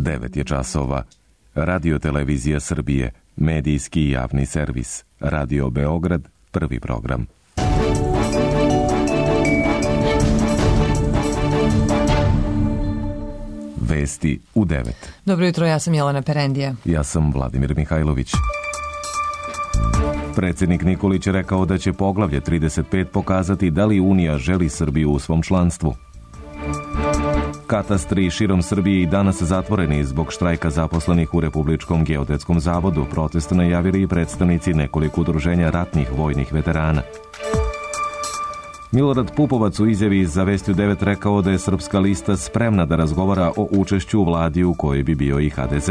9 je časova. Radio Televizija Srbije, medijski javni servis. Radio Beograd, prvi program. Vesti u 9. Dobro jutro, ja sam Jelena Perendija. Ja sam Vladimir Mihajlović. Predsjednik Nikolić je rekao da će poglavlje 35 pokazati da li Unija želi Srbiju u svom članstvu. Katastri širom Srbije i danas zatvoreni zbog štrajka zaposlenih u Republičkom geodetskom zavodu. Protest najavili i predstavnici nekoliko udruženja ratnih vojnih veterana. Milorad Pupovac u izjavi za Vesti u 9 rekao da je Srpska lista spremna da razgovara o učešću u vladi u kojoj bi bio i HDZ.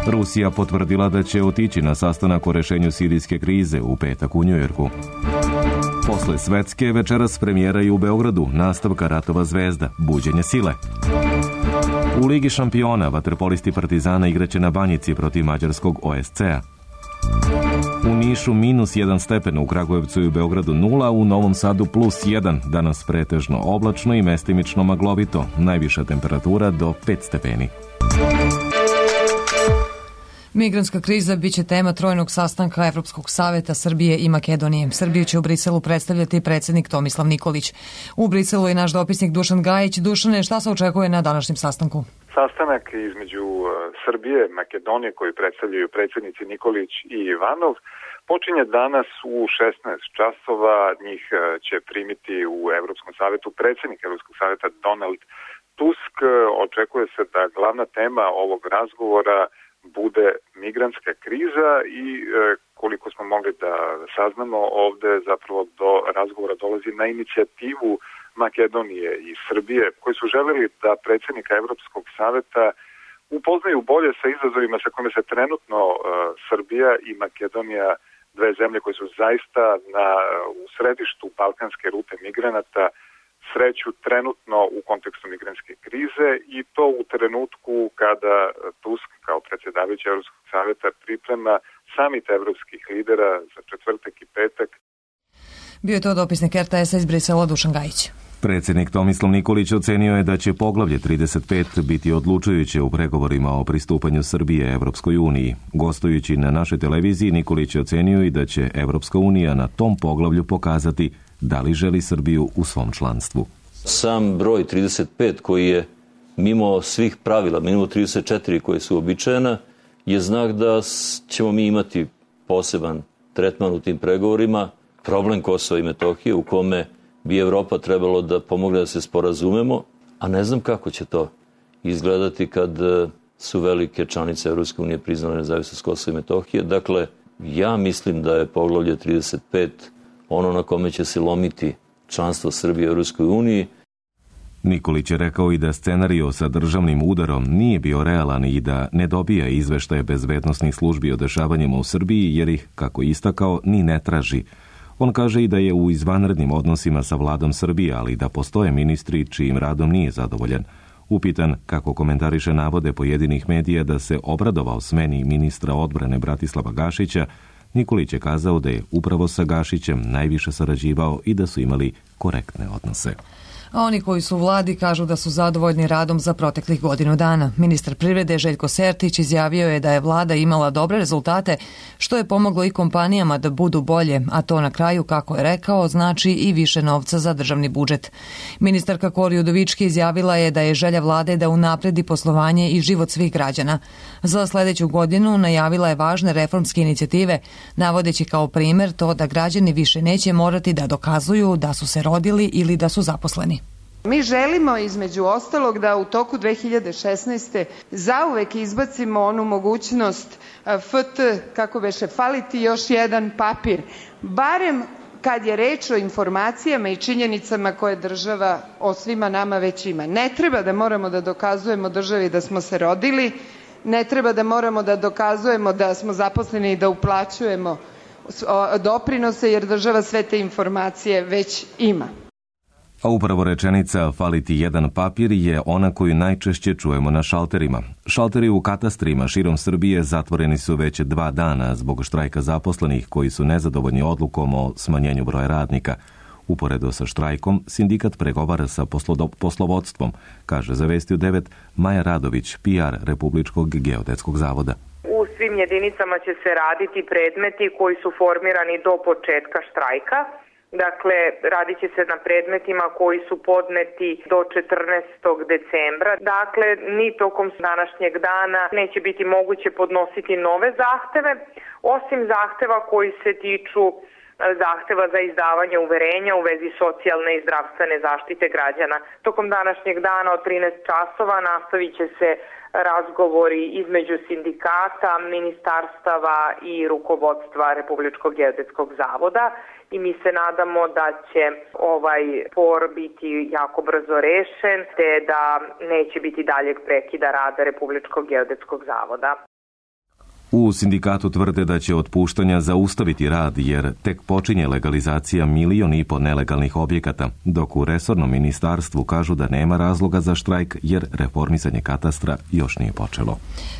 Rusija potvrdila da će otići na sastanak o rešenju sirijske krize u petak u Njujorku. Posle svetske večeras premijera i u Beogradu nastavka Ratova zvezda, buđenje sile. U Ligi šampiona vaterpolisti Partizana igraće na Banjici protiv mađarskog OSC-a. U Nišu -1 stepen, u Kragujevcu i u Beogradu 0, u Novom Sadu +1, danas pretežno oblačno i mestimično maglovito, najviša temperatura do 5 stepeni. Migrantska kriza biće tema trojnog sastanka Evropskog saveta Srbije i Makedonije. Srbiju će u Briselu predstavljati predsjednik Tomislav Nikolić. U Briselu je naš dopisnik Dušan Gajić. Dušane, šta se očekuje na današnjem sastanku? Sastanak između Srbije i Makedonije koji predstavljaju predsjednici Nikolić i Ivanov počinje danas u 16 časova. Njih će primiti u Evropskom savetu predsjednik Evropskog saveta Donald Tusk. Očekuje se da glavna tema ovog razgovora bude migrantska kriza i koliko smo mogli da saznamo, ovde zapravo do razgovora dolazi na inicijativu Makedonije i Srbije, koji su želeli da predsjednika Evropskog saveta upoznaju bolje sa izazovima sa kojima se trenutno Srbija i Makedonija, dve zemlje koje su zaista u središtu balkanske rute migranata, sreću trenutno u kontekstu migrantske krize i to u trenutku kada Tusk kao predsjedavajući Evropskog saveta priprema samit evropskih lidera za četvrtak i petak. Bio je to dopisnik RTS-a iz Brisela Dušan Gajić. Predsjednik Tomislav Nikolić ocenio je da će poglavlje 35 biti odlučujuće u pregovorima o pristupanju Srbije Evropskoj uniji. Gostujući na našoj televiziji, Nikolić je ocenio i da će Evropska unija na tom poglavlju pokazati da li želi Srbiju u svom članstvu. Sam broj 35 koji je mimo svih pravila, mimo 34 koje su uobičajena, je znak da ćemo mi imati poseban tretman u tim pregovorima. Problem Kosova i Metohije u kome bi Evropa trebalo da pomogne da se sporazumemo, a ne znam kako će to izgledati kad su velike članice Evropske unije priznale nezavisnost Kosova i Metohije. Dakle, ja mislim da je poglavlje 35 ono na kome će se lomiti članstvo Srbije u Evropskoj uniji. Nikolić je rekao i da scenario sa državnim udarom nije bio realan i da ne dobija izveštaje bezbednosnih službi o dešavanjima u Srbiji jer ih, kako istakao, ni ne traži. On kaže i da je u izvanrednim odnosima sa vladom Srbije, ali da postoje ministri čijim radom nije zadovoljan. Upitan kako komentariše navode pojedinih medija da se obradovao smeni ministra odbrane Bratislava Gašića, Nikolić je kazao da je upravo sa Gašićem najviše sarađivao i da su imali korektne odnose. A oni koji su u vladi kažu da su zadovoljni radom za proteklih godinu dana. Ministar privrede Željko Sertić izjavio je da je vlada imala dobre rezultate, što je pomoglo i kompanijama da budu bolje, a to na kraju, kako je rekao, znači i više novca za državni budžet. Ministarka Kori Udovički izjavila je da je želja vlade da unapredi poslovanje i život svih građana. Za sljedeću godinu najavila je važne reformske inicijative, navodeći kao primjer to da građani više neće morati da dokazuju da su se rodili ili da su zaposleni. Mi želimo između ostalog da u toku 2016. zauvek izbacimo onu mogućnost kako beše faliti još jedan papir. Barem kad je reč o informacijama i činjenicama koje država o svima nama već ima. Ne treba da moramo da dokazujemo državi da smo se rodili, ne treba da moramo da dokazujemo da smo zaposleni i da uplaćujemo doprinose jer država sve te informacije već ima. A upravo rečenica faliti jedan papir je ona koju najčešće čujemo na šalterima. Šalteri u katastrima širom Srbije zatvoreni su već 2 dana zbog štrajka zaposlenih koji su nezadovoljni odlukom o smanjenju broja radnika. Uporedo sa štrajkom, sindikat pregovara sa poslovodstvom, kaže za Vesti u 9 Maja Radović, PR Republičkog geodetskog zavoda. U svim jedinicama će se raditi predmeti koji su formirani do početka štrajka. Dakle, radit će se na predmetima koji su podneti do 14. decembra. Dakle, ni tokom današnjeg dana neće biti moguće podnositi nove zahteve, osim zahteva koji se tiču zahteva za izdavanje uverenja u vezi socijalne i zdravstvene zaštite građana. Tokom današnjeg dana od 13 časova nastavit će se razgovori između sindikata, ministarstava i rukovodstva Republičkog geodetskog zavoda i mi se nadamo da će ovaj spor biti jako brzo rešen te da neće biti daljeg prekida rada Republičkog geodetskog zavoda. U sindikatu tvrde da će otpuštanja zaustaviti rad jer tek počinje legalizacija 1,5 miliona nelegalnih objekata, dok u resornom ministarstvu kažu da nema razloga za štrajk jer reformisanje katastra još nije počelo.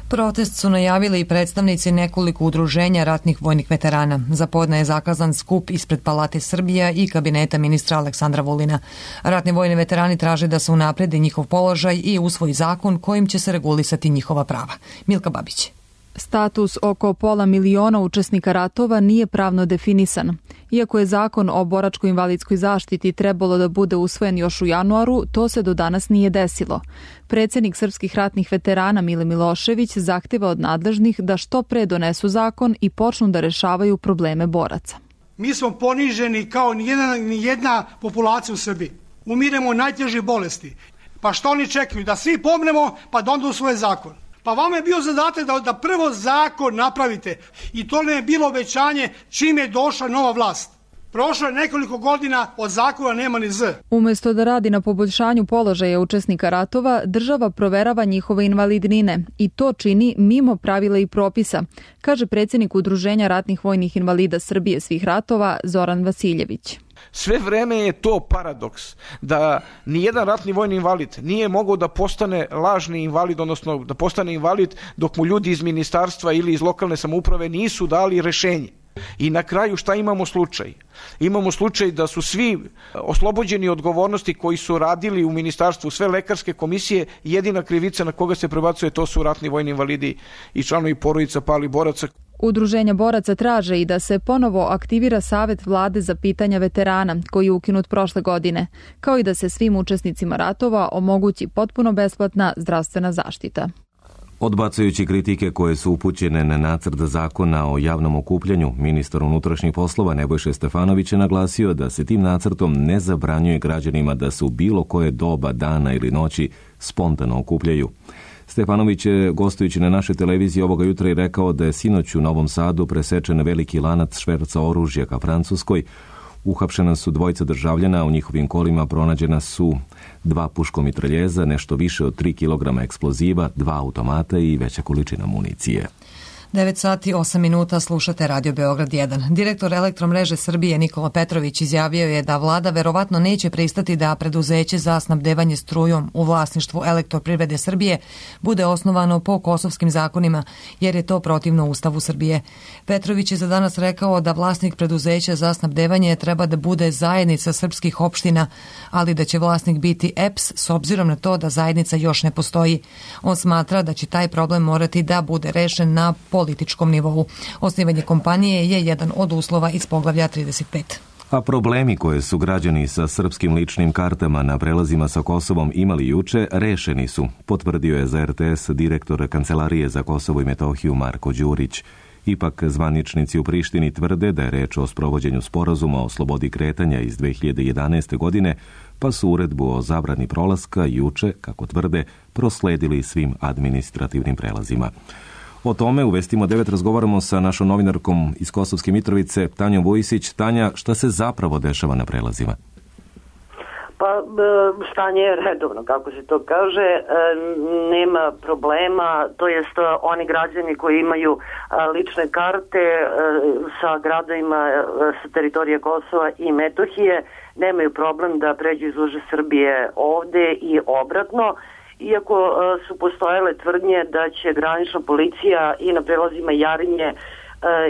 Protest su najavili i predstavnici nekoliko udruženja ratnih vojnih veterana. Za podne je zakazan skup ispred Palate Srbija i kabineta ministra Aleksandra Vulina. Ratni vojni veterani traže da se unapredi njihov položaj i usvoji zakon kojim će se regulisati njihova prava. Milka Babić. Status oko 500 miliona učesnika ratova nije pravno definisan. Iako je zakon o boračko-invalidskoj zaštiti trebalo da bude usvojen još u januaru, to se do danas nije desilo. Predsjednik srpskih ratnih veterana Mile Milošević zahteva od nadležnih da što pre donesu zakon i počnu da rešavaju probleme boraca. Mi smo poniženi kao nijedna populacija u Srbiji. Umiremo od najtežih bolesti. Pa što oni čekaju? Da svi pomnemo pa da onda usvoje zakon. Pa vama je bio zadatak da prvo zakon napravite i to ne je bilo obećanje čim je došla nova vlast. Prošlo je nekoliko godina, od zakona nema ni Z. Umjesto da radi na poboljšanju položaja učesnika ratova, država proverava njihove invalidnine i to čini mimo pravila i propisa, kaže predsjednik Udruženja ratnih vojnih invalida Srbije svih ratova Zoran Vasiljević. Sve vreme je to paradoks da nijedan ratni vojni invalid nije mogao da postane lažni invalid, odnosno da postane invalid dok mu ljudi iz ministarstva ili iz lokalne samouprave nisu dali rešenje. I na kraju šta imamo slučaj? Imamo slučaj da su svi oslobođeni odgovornosti koji su radili u ministarstvu, sve lekarske komisije, jedina krivica na koga se prebacuje to su ratni vojni invalidi i članovi porodica palih boraca. Udruženja boraca traže i da se ponovo aktivira Savet vlade za pitanja veterana, koji je ukinut prošle godine, kao i da se svim učesnicima ratova omogući potpuno besplatna zdravstvena zaštita. Odbacujući kritike koje su upućene na nacrt zakona o javnom okupljanju, ministar unutrašnjih poslova Nebojša Stefanović je naglasio da se tim nacrtom ne zabranjuje građanima da se u bilo koje doba dana ili noći spontano okupljaju. Stefanović je, gostujući na našoj televiziji ovoga jutra, i rekao da je sinoć u Novom Sadu presečen veliki lanac šverca oružja ka Francuskoj. Uhapšena su 2 državljana, u njihovim kolima pronađena su 2 puškomitraljeza, nešto više od 3 kg eksploziva, 2 automata i veća količina municije. 9 sati 8 minuta, slušate Radio Beograd 1. Direktor Elektromreže Srbije Nikola Petrović izjavio je da vlada verovatno neće pristati da preduzeće za snabdevanje strujom u vlasništvu Elektroprivrede Srbije bude osnovano po kosovskim zakonima, jer je to protivno Ustavu Srbije. Petrović je za danas rekao da vlasnik preduzeća za snabdevanje treba da bude zajednica srpskih opština, ali da će vlasnik biti EPS s obzirom na to da zajednica još ne postoji. On smatra da će taj problem morati da bude rešen na političkom nivou. Osnivanje kompanije je jedan od uslova iz poglavlja 35. A problemi koje su građani sa srpskim ličnim kartama na prelazima sa Kosovom imali juče, rešeni su, potvrdio je za RTS direktor Kancelarije za Kosovo i Metohiju Marko Đurić. Ipak zvaničnici u Prištini tvrde da je reč o sprovođenju sporazuma o slobodi kretanja iz 2011. godine, pa su uredbu o zabrani prolaska juče, kako tvrde, prosledili svim administrativnim prelazima. O tome u Vestima 9 razgovaramo sa našom novinarkom iz Kosovske Mitrovice, Tanjom Vujisić. Tanja, šta se zapravo dešava na prelazima? Pa stanje je redovno, kako se to kaže, nema problema, to jest oni građani koji imaju lične karte sa gradovima sa teritorije Kosova i Metohije nemaju problem da pređu iz uže Srbije ovde i obratno. Iako su postojale tvrdnje da će granična policija i na prelazima Jarinje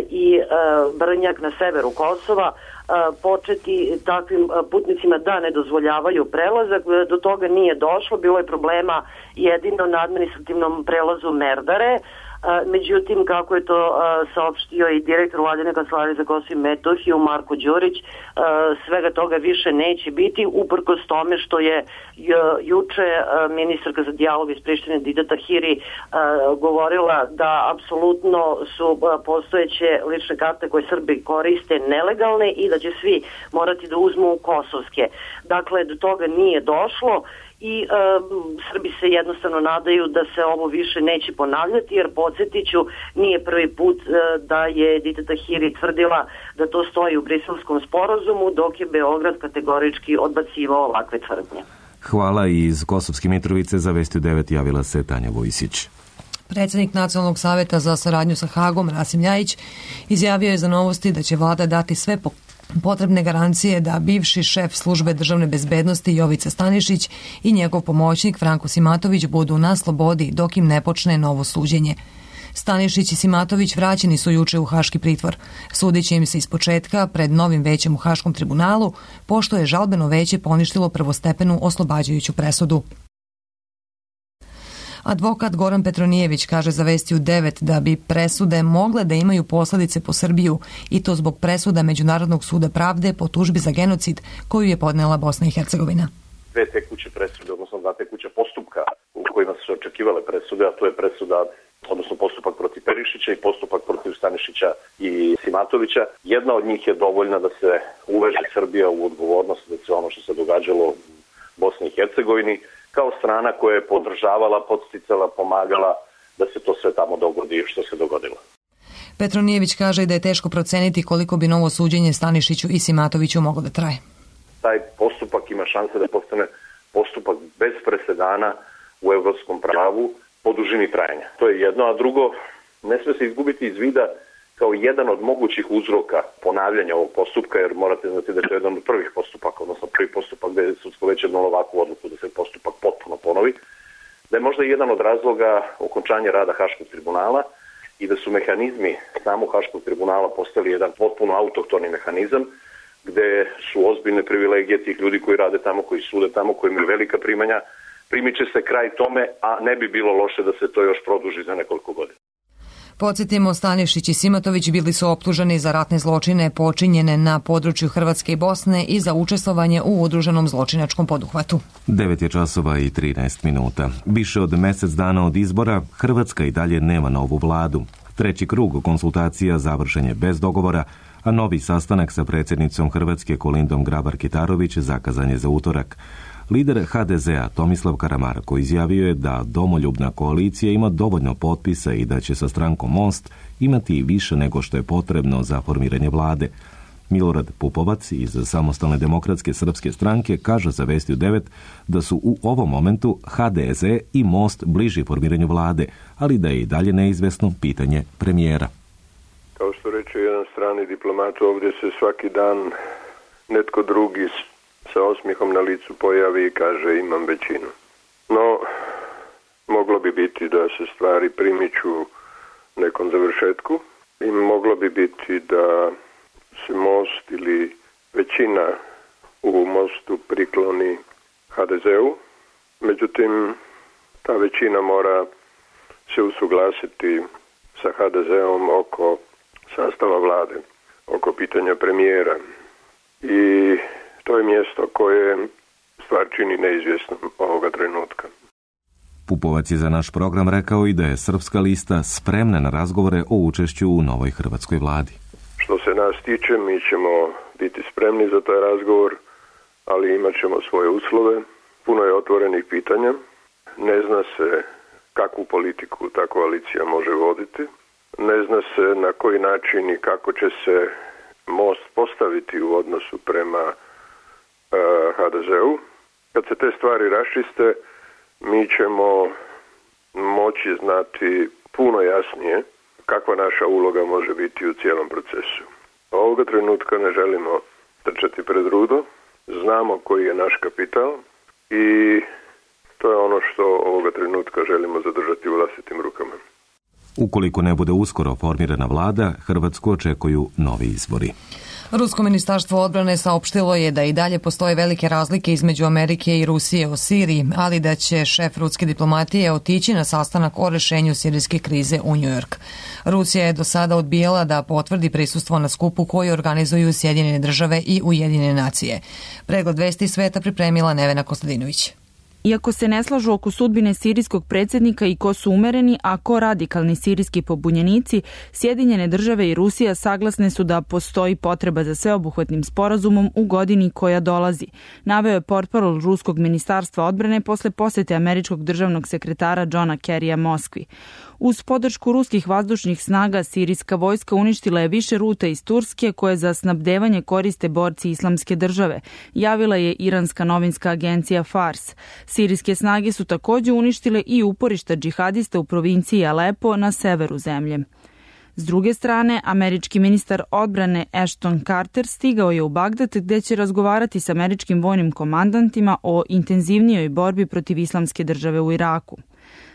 i Brnjak na severu Kosova početi takvim putnicima da ne dozvoljavaju prelazak. Do toga nije došlo, bilo je problema jedino na administrativnom prelazu Merdare. Međutim, kako je to saopštio i direktor Vladine kancelarije za Kosovo i Metohiju Marko Đurić, svega toga više neće biti, uprkos tome što je juče ministarka za dijalog iz Prištine Dita Tahiri govorila da apsolutno su postojeće lične karte koje Srbi koriste nelegalne i da će svi morati da uzmu kosovske. Dakle, do toga nije došlo i Srbi se jednostavno nadaju da se ovo više neće ponavljati, jer podsjetiću, nije prvi put da je Dita Tahiri tvrdila da to stoji u Briselskom sporazumu, dok je Beograd kategorički odbacivao ovakve tvrdnje. Hvala. I iz Kosovske Mitrovice za Vesti 9 javila se Tanja Vojsić. Predsjednik Nacionalnog savjeta za saradnju sa Hagom, Rasim Ljajić, izjavio je za Novosti da će vlada dati sve potrebne garancije da bivši šef službe državne bezbednosti Jovica Stanišić i njegov pomoćnik Franko Simatović budu na slobodi dok im ne počne novo suđenje. Stanišić i Simatović vraćeni su juče u haški pritvor. Sudiće im se ispočetka pred novim većem u Haškom tribunalu, pošto je žalbeno veće poništilo prvostepenu oslobađajuću presudu. Advokat Goran Petronijević kaže za Vesti u 9 da bi presude mogle da imaju posljedice po Srbiju, i to zbog presuda Međunarodnog suda pravde po tužbi za genocid koju je podnela Bosna i Hercegovina. Dve tekuće presude, odnosno dva tekuća postupka u kojima su se očekivale presude, a to je presuda, odnosno postupak protiv Perišića i postupak protiv Stanišića i Simatovića. Jedna od njih je dovoljna da se uveže Srbija u odgovornost da se ono što se događalo u Bosni i Hercegovini, kao strana koja je podržavala, podsticala, pomagala da se to sve tamo dogodi što se dogodilo. Petronijević kaže da je teško proceniti koliko bi novo suđenje Stanišiću i Simatoviću moglo da traje. Taj postupak ima šanse da postane postupak bez presedana u evropskom pravu po dužini trajanja. To je jedno, a drugo, ne sme se izgubiti iz vida kao jedan od mogućih uzroka ponavljanja ovog postupka, jer morate znati da je to jedan od prvih postupaka, odnosno prvi postupak gde je sudsko veće donelo ovakvu odluku da se postupak potpuno ponovi, da je možda jedan od razloga okončanja rada Haškog tribunala i da su mehanizmi samog Haškog tribunala postali jedan potpuno autohtoni mehanizam, gde su ozbiljne privilegije tih ljudi koji rade tamo, koji sude tamo, koji imaju velika primanja. Primiče se kraj tome, a ne bi bilo loše da se to još produži za nekoliko godina. Podsjetimo, Stanišić i Simatović bili su optuženi za ratne zločine počinjene na području Hrvatske i Bosne i za učestvovanje u udruženom zločinačkom poduhvatu. 9:13. Više od mjesec dana od izbora, Hrvatska i dalje nema novu vladu. Treći krug konsultacija završen je bez dogovora, a novi sastanak sa predsjednicom Hrvatske Kolindom Grabar-Kitarović zakazan je za utorak. Lider HDZ-a Tomislav Karamarko izjavio je da domoljubna koalicija ima dovoljno potpisa i da će sa strankom Most imati više nego što je potrebno za formiranje vlade. Milorad Pupovac iz Samostalne demokratske srpske stranke kaže za Vesti u 9 da su u ovom momentu HDZ i Most bliži formiranju vlade, ali da je i dalje neizvesno pitanje premijera. Kao što reče jedan strani diplomat, ovdje se svaki dan netko drugi sa osmihom na licu pojavi i kaže imam većinu. No, moglo bi biti da se stvari primiču nekom završetku i moglo bi biti da se Most ili većina u Mostu prikloni HDZ-u. Međutim, ta većina mora se usuglasiti sa HDZ-om oko sastava vlade, oko pitanja premijera. I to je mjesto koje stvar čini neizvjesnom ovoga trenutka. Pupovac je za naš program rekao i da je Srpska lista spremna na razgovore o učešću u novoj hrvatskoj vladi. Što se nas tiče, mi ćemo biti spremni za taj razgovor, ali imat ćemo svoje uslove. Puno je otvorenih pitanja. Ne zna se kakvu politiku ta koalicija može voditi. Ne zna se na koji način i kako će se Most postaviti u odnosu prema HDZ-u. Kad se te stvari raščiste, mi ćemo moći znati puno jasnije kakva naša uloga može biti u cijelom procesu. Ovoga trenutka ne želimo trčati pred rudo, znamo koji je naš kapital i to je ono što ovoga trenutka želimo zadržati u vlastitim rukama. Ukoliko ne bude uskoro formirana vlada, Hrvatsku očekuju novi izbori. Rusko ministarstvo odbrane saopštilo je da i dalje postoje velike razlike između Amerike i Rusije o Siriji, ali da će šef ruske diplomatije otići na sastanak o rešenju sirijske krize u Njujork. Rusija je do sada odbijala da potvrdi prisustvo na skupu koji organizuju Sjedinjene države i Ujedinjene nacije. Pregled vesti sveta pripremila Nevena Kostadinović. Iako se ne slažu oko sudbine sirijskog predsjednika i ko su umereni, a ko radikalni sirijski pobunjenici, Sjedinjene države i Rusija saglasne su da postoji potreba za sveobuhvatnim sporazumom u godini koja dolazi, naveo je portparol ruskog ministarstva odbrane posle posete američkog državnog sekretara Johna Kerrya Moskvi. Uz podršku ruskih vazdušnih snaga, sirijska vojska uništila je više ruta iz Turske koje za snabdevanje koriste borci Islamske države, javila je iranska novinska agencija Fars. Sirijske snage su također uništile i uporišta džihadista u provinciji Alepo na severu zemlje. S druge strane, američki ministar odbrane Ashton Carter stigao je u Bagdad gdje će razgovarati s američkim vojnim komandantima o intenzivnijoj borbi protiv Islamske države u Iraku.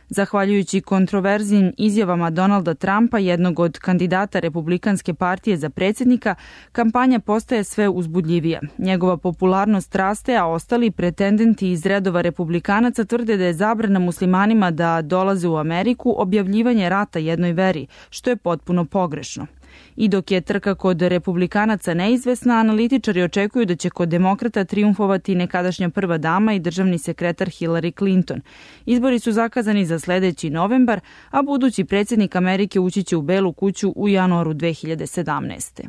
Zahvaljujući kontroverznim izjavama Donalda Trumpa, jednog od kandidata Republikanske partije za predsjednika, kampanja postaje sve uzbudljivija. Njegova popularnost raste, a ostali pretendenti iz redova Republikanaca tvrde da je zabrana muslimanima da dolaze u Ameriku objavljivanje rata jednoj veri, što je potpuno pogrešno. I dok je trka kod Republikanaca neizvesna, analitičari očekuju da će kod demokrata triumfovati nekadašnja prva dama i državni sekretar Hillary Clinton. Izbori su zakazani za sljedeći novembar, a budući predsjednik Amerike ući će u Belu kuću u januaru 2017.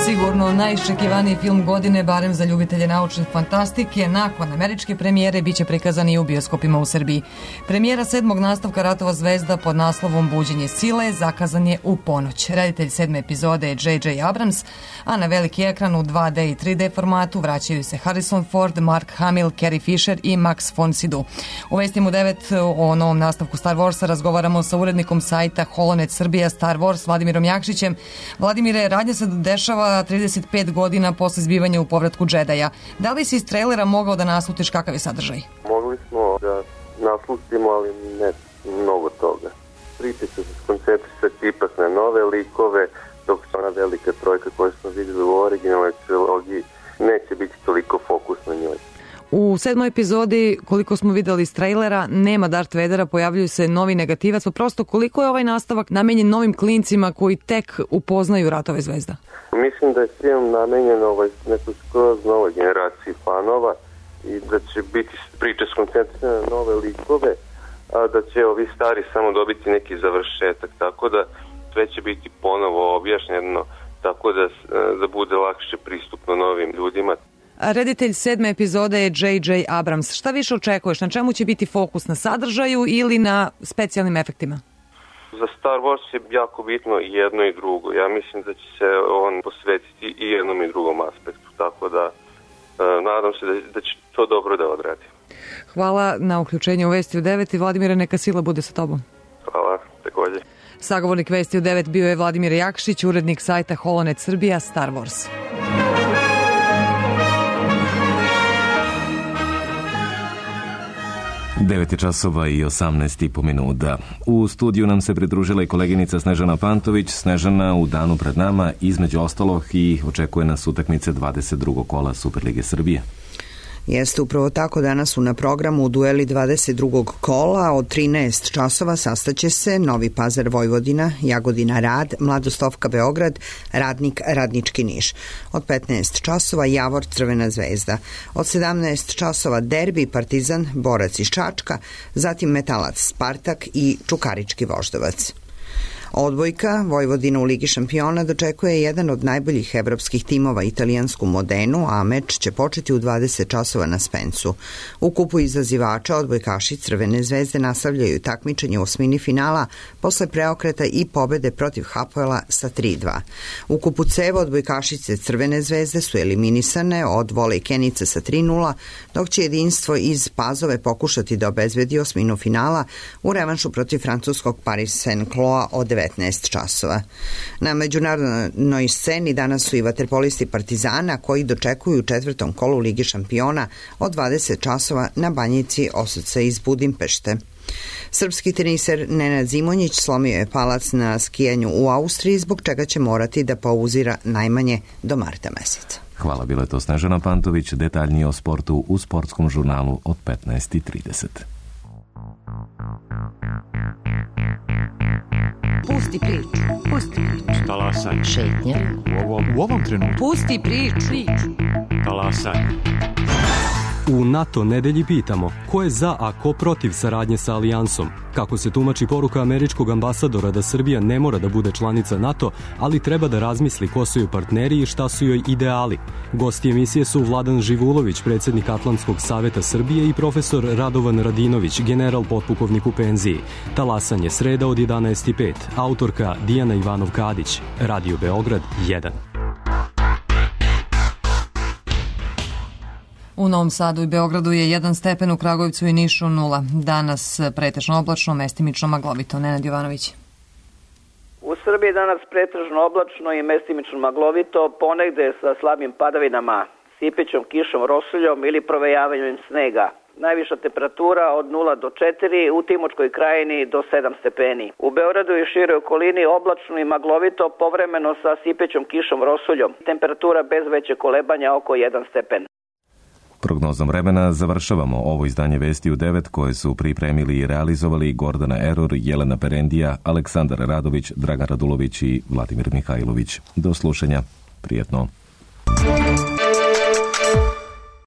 Sigurno najiščekivaniji film godine, barem za ljubitelje naučne fantastike, nakon američke premijere biće prikazan i u bioskopima u Srbiji. Premijera 7. nastavka Ratova zvezda pod naslovom Buđenje sile zakazan je u ponoć. Reditelj 7. epizode je J.J. Abrams, a na veliki ekran u 2D i 3D formatu vraćaju se Harrison Ford, Mark Hamill, Carrie Fisher i Max von Sydow. U vestima u 9 o novom nastavku Star Warsa razgovaramo sa urednikom sajta Holonet Srbija Star Wars Vladimirom Jakšićem. Vladimire, radnja se dešava 35 godina posle zbivanja u povratku Džedaja. Da li si iz trailera mogao da naslutiš kakav je sadržaj? Mogli smo da naslutimo, ali ne mnogo toga. Priče će se skoncentrisati ipak na nove likove, dok se ona velika trojka koju smo vidjeli u originalnoj trilogiji neće biti toliko fokus na njoj. U 7. epizodi, koliko smo videli iz trailera, nema Darth Vadera, pojavljuju se novi negativac, pa prosto koliko je ovaj nastavak namenjen novim klincima koji tek upoznaju Ratove zvezda? Mislim da je film namenjen nekoj skroz novoj generaciji fanova i da će biti priče skoncentrirane na nove likove, a da će ovi stari samo dobiti neki završetak, tako da sve će biti ponovo objašnjeno, tako da bude lakše pristupno novim ljudima. Reditelj 7. epizode je J.J. Abrams. Šta više očekuješ? Na čemu će biti fokus? Na sadržaju ili na specijalnim efektima? Za Star Wars je jako bitno i jedno i drugo. Ja mislim da će se on posvetiti i jednom i drugom aspektu. Tako da nadam se da će to dobro da odradi. Hvala na uključenju u Vesti u 9 i Vladimire, neka sila bude sa tobom. Hvala, također. Sagovornik Vesti u 9 bio je Vladimir Jakšić, urednik sajta Holonet Srbija Star Wars. Devet je časova i 18,5 minuta. U studiju nam se pridružila i koleginica Snežana Pantović. Snežana, u danu pred nama između ostalog i očekuje nas utakmice 22. kola Superlige Srbije. Jeste upravo tako, danas su na programu dueli 22. kola, od 13 časova sastaće se Novi Pazar Vojvodina, Jagodina Rad, Mladostovka Beograd, Radnik Radnički Niš. Od 15 časova Javor Crvena zvezda. Od 17 časova derbi Partizan Borac iz Čačka, zatim Metalac Spartak i Čukarički Voždovac. Odbojka Vojvodina u Ligi šampiona dočekuje jedan od najboljih evropskih timova, italijansku Modenu, a meč će početi u 20 časova na Spensu. U kupu izazivača odbojkaši Crvene zvezde nastavljaju takmičenje u osmini finala posle preokreta i pobede protiv Hapoela sa 3-2. U kupu C odbojkašice Crvene zvezde su eliminisane od Volejkenice sa 3-0, dok će jedinstvo iz Pazove pokušati da obezbedi osminu finala u revanšu protiv francuskog Paris Saint-Cloud od 19 časova. Na međunarodnoj sceni danas su i vaterpolisti Partizana koji dočekuju u četvrtom kolu Ligi šampiona od 20 časova na Banjici Osovca iz Budimpešte. Srpski teniser Nenad Zimonjić slomio je palac na skijanju u Austriji, zbog čega će morati da pauzira najmanje do marta meseca. Hvala, bila je to Snežana Pantović. Detaljnije o sportu u sportskom žurnalu od 15:30. Pusti priču. Pusti priču. Talasaj. Šetnja. U ovom trenutku. Pusti priču. Talasaj. U NATO nedelji pitamo ko je za, a ko protiv saradnje sa alijansom. Kako se tumači poruka američkog ambasadora da Srbija ne mora da bude članica NATO, ali treba da razmisli ko su joj partneri i šta su joj ideali. Gosti emisije su Vladan Živulović, predsjednik Atlantskog saveta Srbije, i profesor Radovan Radinović, general potpukovnik u penziji. Talasanje sreda od 11:05. Autorka Dijana Ivanov-Kadić. Radio Beograd 1. U Novom Sadu i Beogradu je 1 stepen, u Kragujevcu i Nišu 0. Danas pretežno oblačno, mestimično maglovito. Nenad Jovanović. U Srbiji danas pretežno oblačno i mestimično maglovito, ponegde sa slabim padavinama, sipećom kišom, rosuljom ili provejavanjem snega. Najviša temperatura od 0 do 4, u Timočkoj krajini do 7 stepeni. U Beogradu i široj okolini oblačno i maglovito, povremeno sa sipećom kišom, rosuljom. Temperatura bez veće kolebanja oko 1 stepen. Prognozom vremena završavamo ovo izdanje Vesti u 9 koje su pripremili i realizovali Gordana Eror, Jelena Perendija, Aleksandar Radović, Dragan Radulović i Vladimir Mihajlović. Do slušanja. Prijetno.